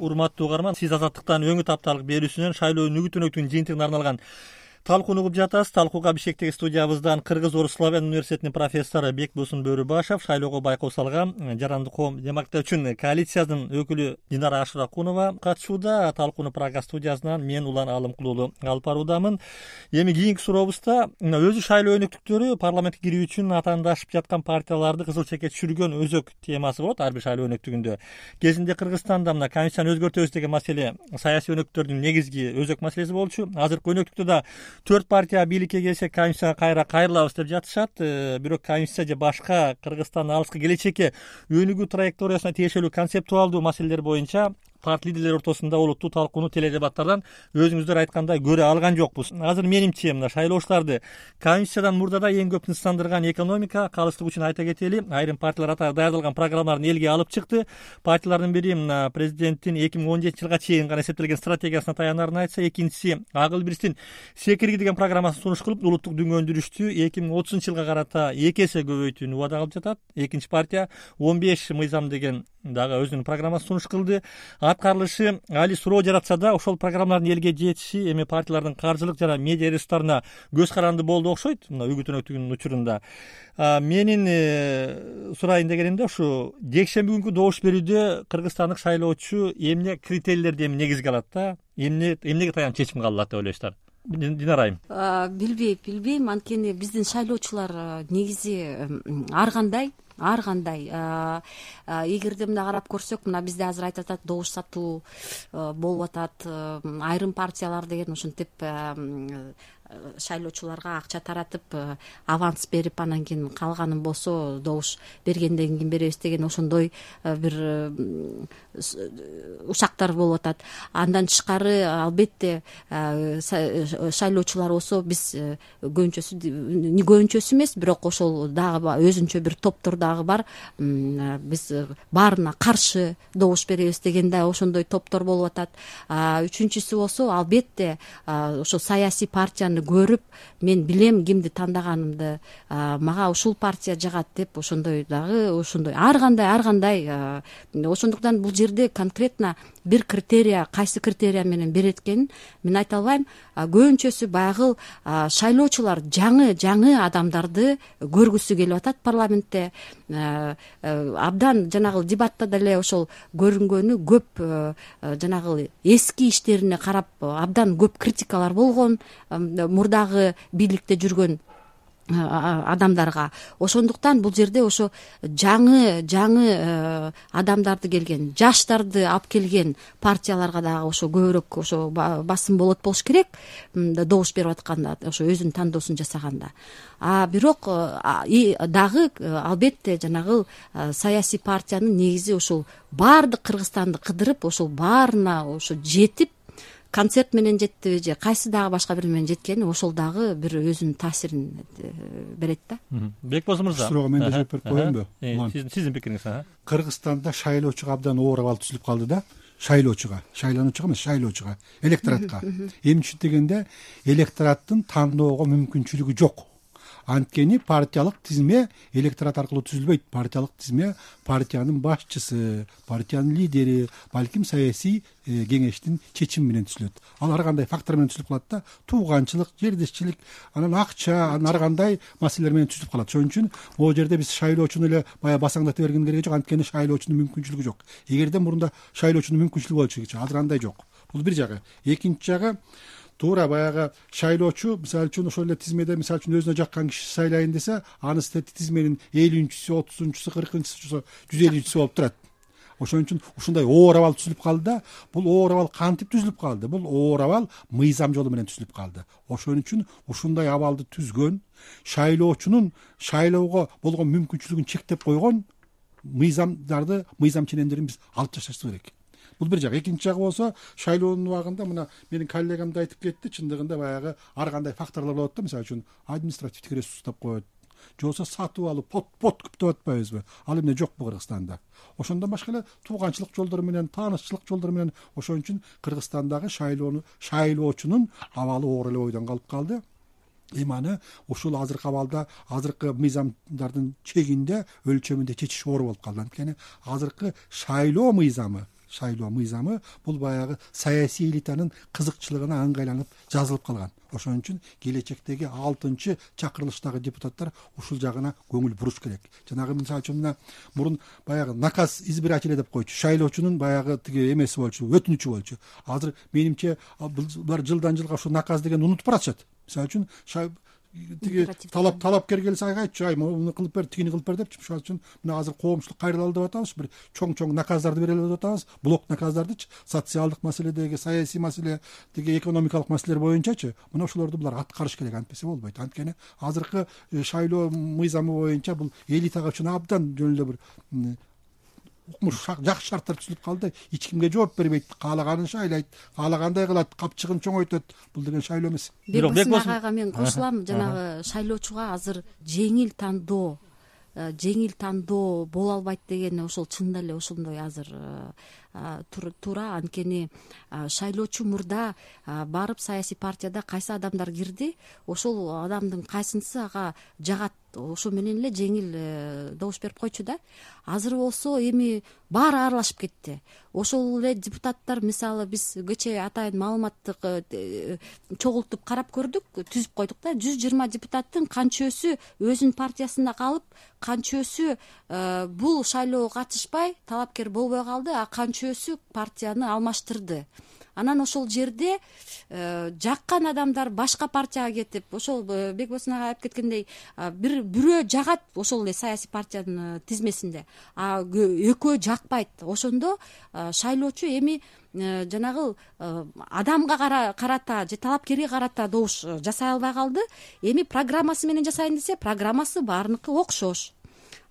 урматтуу угарман, сиз Азаттыктан өңүт апталык берүүсүнөн шайлоо нүгүтүнөктүн жыйынтыгына арналган талкууну угуп жатасыз. Талкууга Бишкектеги студиябыздан Кыргыз Орус Славян университетинин профессору Бекбосун Бөрүбашев, шайлоого байкоо салган Жарандык коом демократтар үчүн коалициясынын өкүлү Динара Ашыракунова катышууда. Талкууну Прага студиясынан мен Улан Алымкулуулу алып баруудамын. Эми кийинки сурообузда өзү шайлоо өнөктүктөрү парламентке кирүү үчүн атаандашып жаткан партияларды кызыл чекке түшүргөн өзөк темасы болот ар бир шайлоо өнөктүгүндө. Кезинде Кыргызстанда мына конституцияны өзгөртөбүз деген маселе саясий өнөктүктөрдүн негизги өзөк маселеси болчу. Азыркы өнөктүктө да 4 партия бийликке келсе конституцияга кайрылабыз деп жатышат. Бирок конституция же башка Кыргызстандын алыскы келечекке өнүгүү траекториясына тиешелүү концептуалдуу маселелер боюнча парт лидерлери ортосунда олуттуу талкууну теледебаттардан өзүңүздөр айткандай көрө алган жокпуз. Азыр менимче мына шайлоочуларды конституциядан мурдада эң көп тынчсыздандырган экономика. Калыстык үчүн айта кетели, айрым партиялар атайын даярдалган программаларын элге алып чыкты. Партиялардын бири мына президенттин 2017 жылга чейин гана эсептелген стратегиясына таянарын айтса, экинчиси Ак эл бирстин секирги деген программасын сунуш кылып, улуттук дүңгөндүрүштү 2030 жылга карата 2 эсе көбөйтүүнү убада кылып жатат. Экинчи партия 15 мыйзам деген дагы өзүнүн программасын сунуш кылды. Аткарылышы али суроо жаратса да, ошол программалардын элге жетиши эми партиялардын каржылык жана медиа ресурстарына көз каранды болду окшойт. Мына үгүт өнөктүгүнүн учурунда менин сурайын дегенимде ушу жекшемби күнкү добуш берүүдө кыргызстандык шайлоочу эмне критерийлерди негизге алат да, эмнеге таянып чечим кабыл алат деп ойлойсуздар? Динара айым. Билбейм, анткени биздин шайлоочулар негизи ар кандай эгерде мына карап көрсөк, мына бизде азыр айтып атат, добуш сатуу болуп атат, айрым партиялар деген ушинтип шайлоочуларга акча таратып, аванс берип, анан кийин калганын болсо добуш бергенден кийин беребиз деген ошондой бир ушактар болуп атат. Андан тышкары албетте шайлоочулар болсо биз көбүнчөсү эмес, бирок ошол дагы өзүнчө бир топтор дагы бар. Биз баарына каршы добуш беребиз деген да ошондой топтор болуп атат. Үчүнчүсү болсо албетте ошо саясий партияны көрүп, мен билем кимди тандаганымды, мага ушул партия жагат деп ошондой ар кандай ошондуктан бул жерде конкретно бир критерия, кайсы критерия менен берет экенин мен айта албайм. Көбүнчөсү баягы шайлоочулар жаңы адамдарды көргүсү келип атат парламентте. Абдан жанагы дебатта деле ошол көрүнгөнү көп, жанагы эски иштерине карап абдан көп критикалар болгон мурдагы бийликте жүргөн адамдарга. Ошондуктан бул жерде ошо жаңы адамдарды келген, жаштарды алып келген партияларга дагы ошо көбүрөөк ошо басым болуш керек, добуш берип атканда, ошо өзүнүн тандоосун жасаганда. Бирок дагы албетте жанагы саясий партиянын негизи ошол баардык Кыргызстанды кыдырып, ошол баарына ошо жетип, концерт менен жеттиби же кайсы дагы башка бир менен жеткени ошол дагы бир өзүнүн таасирин берет да. Бекбосун мырза, суроо мен да жооп берип коеюнбу? Сиздин пикириңиз? Кыргызстанда шайлоочуга абдан оор абал түзүлүп калды да. Шайлоочуга, шайлануучуга эмес, шайлоочуга, электоратка. Эмне дегенде, электораттын тандоого мүмкүнчүлүгү жок. Анткени партиялык тизме электорат аркылуу түзүлбөйт. Партиялык тизме партиянын башчысы, партиянын лидери, балким саясий кеңештин чечими менен түзүлөт. Ал ар кандай фактор менен түзүлүп калат да. Тууганчылык, жердешчилик, анан акча, анан ар кандай маселелер менен түзүлүп калат. Ошон үчүн могу жерде биз шайлоочуну эле баягы басаңдата берген кереги жок. Анткени шайлоочунун мүмкүнчүлүгү жок. Эгерде мурунда шайлоочунун мүмкүнчүлүгү болчу, азыр андай жок. Бул бир жагы. Экинчи жагы, туура баягы шайлоочу мисалы үчүн ошол эле тизмеде мисалы үчүн өзүнө жаккан киши сайлайын десе, анысы тизменин 50-чүсү, 30-чусу, 40-чысу, 150-чүсү болуп турат. Ошон үчүн ушундай оор абал түзүлүп калды да. Бул оор абал кантип түзүлүп калды? Бул оор абал мыйзам жолу менен түзүлүп калды. Ошон үчүн ушундай абалды түзгөн, шайлоочунун шайлоого болгон мүмкүнчүлүгүн чектеп койгон мыйзамдарды, мыйзам ченемдерин биз алып ташташыбыз керек. Бул бир жагы. Экинчи жагы болсо, шайлоонун убагында мына менин коллегам да айтып кетти, чындыгында баягы ар кандай факторлор болот да, мисалы үчүн административдик ресурс деп коет, же болбосо сатып алып подкуп деп атпайбызбы? Ал эмне жокпу Кыргызстанда? Ошондон башка эле тууганчылык жолдору менен, таанышчылык жолдору менен, ошон үчүн Кыргызстандагы шайлоочунун абалы оор эле бойдон калып калды. Эми аны ушул азыркы абалда, азыркы мыйзамдардын чегинде, өлчөмүндө чечиш оор болуп калды. Анткени азыркы шайлоо мыйзамы, шайлоо мыйзамы бул баягы саясий элитанын кызыкчылыгына ыңгайланып жазылып калган. Ошон үчүн келечектеги 6-чы чакырылыштагы депутаттар ушул жагына көңүл буруш керек. Жанагы мисалы үчүн мына мурун баягы наказ избирателя деп койчу, шайлоочунун баягы тиги эмеси болчу, өтүнүчү болчу. Азыр менимче булар жылдан жылга ушу наказ деген унутуп баратышат. Мисалы үчүн тиги талапкер келсе айтчу, муну кылып бер, тигини кылып бер депчи. Ошон үчүн мына азыр коомчулук кайрылалы деп атабыз, бир чоң наказдарды берели деп атабыз, блок наказдардычы, социалдык маселедеги, саясий маселе, тиги экономикалык маселелер боюнчачы, мына ошолорду булар аткарыш керек, антпесе болбойт. Анткени азыркы шайлоо мыйзамы боюнча бул элитага үчүн абдан жөн эле бир укмуш жакшы шарттар түзүлүп калды. Эч кимге жооп бербейт, каалаганын шайлайт, каалагандай кылат, капчыгын чоңойтот. Бул деген шайлоо эмес. Бекбосын агайга мен кошулам. Жанагы шайлоочуга азыр жеңил тандоо боло албайт деген ошол чынында эле ошондой азыр туура. Анткени шайлоочу мурда барып саясий партияда кайсы адамдар кирди, ошол адамдын кайсынысы ага жагат, ошо менен эле жеңил добуш берип койчу да. Азыр болсо эми баары аралашып кетти. Ошол эле депутаттар, мисалы биз кечээ атайын маалыматтык чогултуп карап көрдүк, түзүп койдук да. 120 депутаттын канчөсү өзүнүн партиясында калып, канчөсү бул шайлоого катышпай талапкер болбой калды, а канчөсү партияны алмаштырды. Анан ошол жерде жаккан адамдар башка партияга кетип, ошол Бекбосын ага айтып кеткендей, бирөө жагат ошол эле саясий партиянын тизмесинде, а экөө жакпайт. Ошондо шайлоочу эми жанагы адамга карата же талапкерге карата добуш жасай албай калды. Эми программасы менен жасайын десе, программасы баарыныкы окшош.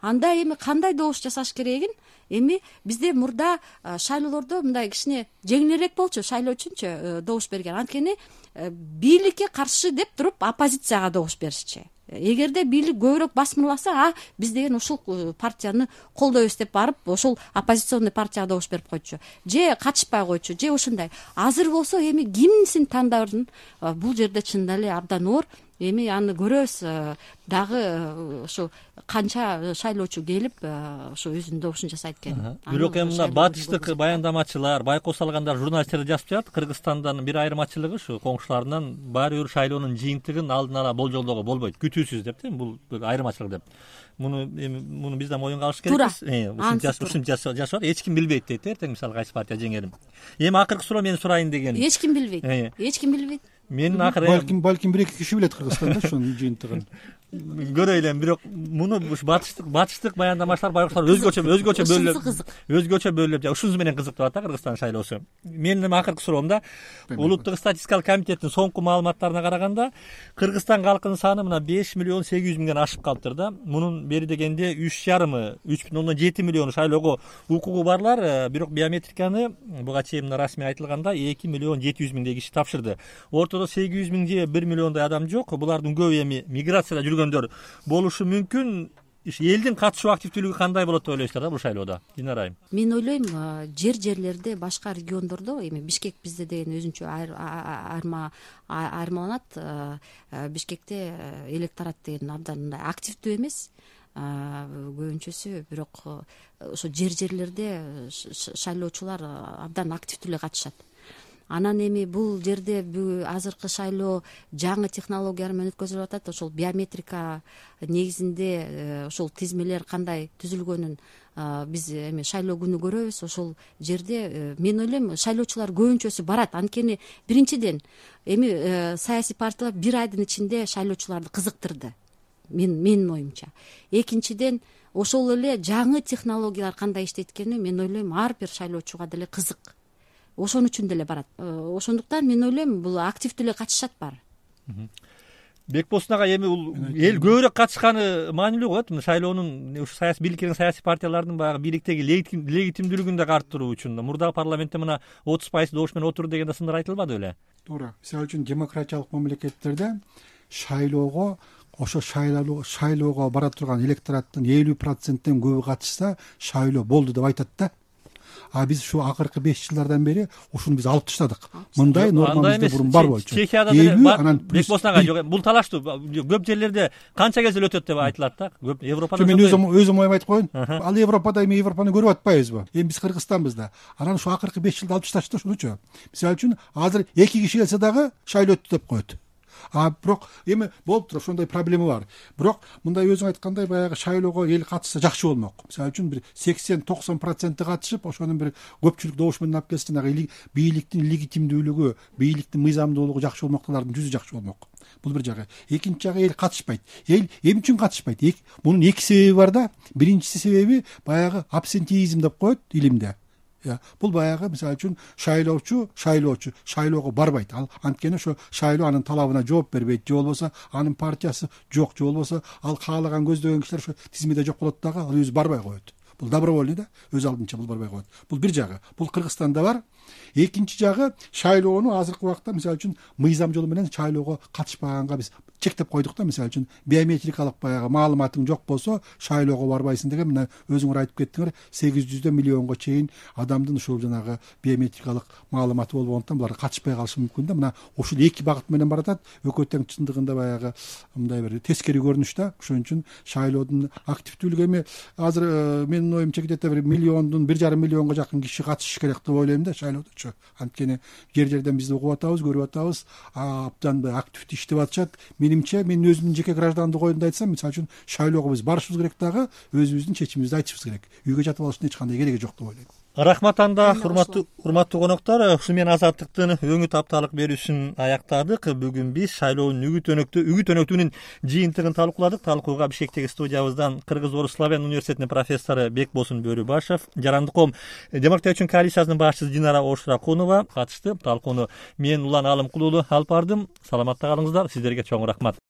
Анда эми кандай добуш жасаш керегин эми бизде мурда шайлоолордо мындай кичине жеңилирээк болчу шайлоо үчүнчү добуш берген. Анткени бийликке каршы деп туруп оппозицияга добуш беришчи. Эгерде бийлик көбүрөөк басмырласа, биз деген ушул партияны колдойбуз деп барып, ошол оппозиционный партияга добуш берип койчу. Же катышпай койчу, же ушундай. Азыр болсо эми кимсин тандардын бул жерде чынында эле абдан оор. Эми аны көрөбүз, дагы ошо канча шайлоочу келип ошо өзүнүн добушун жасайт экен. Бирок эми мына батыштык баяндамачылар, байкоо салгандар, журналисттер жазып жатат, Кыргызстандан бир айырмачылыгы ушу коңшуларынан баары бир шайлоонун жыйынтыгын алдын ала болжолдоого болбойт, күтүүсүз деп, бул айырмачылык деп. Муну биз да моюнга алыш керекпиз. Ушинче жашап, эч ким билбейт дейт, эртең мисалы кайсы партия жеңерин. Эми акыркы суроо мен сурайын деген. Эч ким билбейт. Эч ким билбейт. Менин акыры балким бир эки киши билет Кыргызстанда ошонун жыйынтыгын. Көрөйлүм, бирок муну батыштык баяндамачылар, байкоолор өзгөчө бөлүп, ушунусу менен кызык деп атат Кыргызстан шайлоосу. Менин акыркы суроомда Улуттук статистикалык комитеттин соңку маалыматтарына караганда, Кыргызстан калкынын саны мына 5.800.000ден ашып калыптыр да. Мунун бери дегенде 3,7 миллион шайлоого укугу барлар, бирок биометриканы буга чейин расмий айтылганда 2.700.000 киши тапшырды. Ортодо 800.000 же 1 миллиондой адам жок. Булардын көбү эми миграцияда жүргөндөр болушу мүмкүн. Элдин катышуу активдүүлүгү кандай болот деп ойлойсуздар да бул шайлоодо? Динар айым. Мен ойлойм, жерлерде, башка региондордо, эми Бишкек бизде деген өзүнчө айырмаланат. Бишкекте электорат деген абдан мындай активдүү эмес. Көбүнчөсү, бирок ошо жерлерде шайлоочулар абдан активдүү эле катышат. Анан эми бул жерде азыркы шайлоо жаңы технологиялар менен өткөзүлүп атат. Ошол биометрика негизинде ошол тизмелер кандай түзүлгөнүн биз эми шайлоо күнү көрөбүз. Ошол жерде мен ойлойм, шайлоочулар көбүнчөсү барат. Анткени биринчиден эми саясий партиялар бир айдын ичинде шайлоочуларды кызыктырды. Менин оюмча. Экинчиден ошол эле жаңы технологиялар кандай иштейт экени мен ойлойм ар бир шайлоочуга деле кызык. Ошон үчүн деле барат. Ошондуктан мен ойлойм, бул активдүү эле катышат баары. Бекбосын ага, эми бул эл көбүрөөк катышканы маанилүү болот. Шайлоонун ушу саясий бийликтердин, саясий партиялардын баягы бийликтеги легитимдүүлүгүн да арттыруу үчүн мурдагы парламентте мына 30% добуш менен отурду деген да сындар айтылбады беле? Туура. Мисалы үчүн демократиялык мамлекеттерде шайлоого, ошо шайлоого бара турган электораттын 50%ден көбү катышса, шайлоо болду деп айтат да. А биз ушу акыркы 5 жылдардан бери ушуну биз алып таштадык. Мындай норма бизде бурун бар болчу. Чехияда деле Бекболсун ага жок. Бул талаштуу көп жерлерде канча кезде эле өтөт деп айтылат да. Көп Европада. Мен өзүм оюм айтып коеюн. Ал Европада эми Европаны көрүп атпайбызбы? Эми биз Кыргызстанбыз да. Анан ушу акыркы 5 жылда алып ташташты ушунучу. Мисалы үчүн азыр 2 киши келсе дагы шайлоо өттү деп коет. Бирок эми болуп туруп ошондой проблема бар. Бирок мындай өзүң айткандай баягы шайлоого эл катышса жакшы болмок. Мисалы үчүн бир 80-90% катышып, ошонун бир көпчүлүк добуш менен алып келсе, жанагы бийликтин легитимдүүлүгү, бийликтин мыйзамдуулугу жакшы болмок, алардын жүзү жакшы болмок. Бул бир жагы. Экинчи жагы эл катышпайт. Эл эмне үчүн катышпайт? Мунун 2 себеби бар да. Биринчиси себеби баягы абсентеизм деп коет илимде. Бул баягы мисалы үчүн шайлоого барбайт. Ал анткени ошо шайлоо анын талабына жооп бербейт, же болбосо анын партиясы жок, же болбосо ал каалаган көздөгөн кишилер ошо тизимеде жок болот дагы, ал өзү барбай коет. Бул добровольный да, өз алдынча бул барбай коет. Бул бир жагы. Бул Кыргызстанда бар. Экинчи жагы шайлоону азыркы убакта мисалы үчүн мыйзам жолу менен шайлоого катышпаганга биз чектеп койдук да. Мисалы үчүн биометрикалык баягы маалыматың жок болсо шайлоого барбайсың деген мына өзүңөр айтып кеттиңер, 800 миллионго чейин адамдын ушул жанагы биометрикалык маалыматы болбогондуктан булар катышпай калышы мүмкүн да. Мына ушул 2 багыт менен баратат. Экөө тең чындыгында баягы мындай бир тескери көрүнүш да. Ошон үчүн шайлоодун активдүүлүгү эми азыр менин оюмча где-то 1,5 миллионго жакын киши катышыш керек деп ойлойм да шайлоодочу. Анткени жер-жерден бизди угуп атабыз, көрүп атабыз, абдан активдүү иштеп атышат. Менимче мен өзүмдүн жеке граждандык оюмду айтсам, мисалы үчүн шайлоого биз барышыбыз керек дагы, өзүбүздүн чечимибизди айтышыбыз керек. Үйгө жатып алыштын эч кандай кереги жок деп ойлойм. Рахмат анда, урматтуу коноктор. Ушу менен Азаттыктын өңү тапталык берүүсүн аяктадык. Бүгүн биз шайлоонун үгүт өнөктүгүнүн жыйынтыгын талкууладык. Талкууга Бишкектеги студиябыздан Кыргыз-Орус славян университетинин профессору Бекболсун Бөрүбашев, Жарандык коом демократия үчүн коалициясынын башчысы Динара Ошуракунова катышты. Талкууну мен Улан Алымкулуулу алып бардым. Саламатта калыңыздар. Сиздерге чоң рахмат.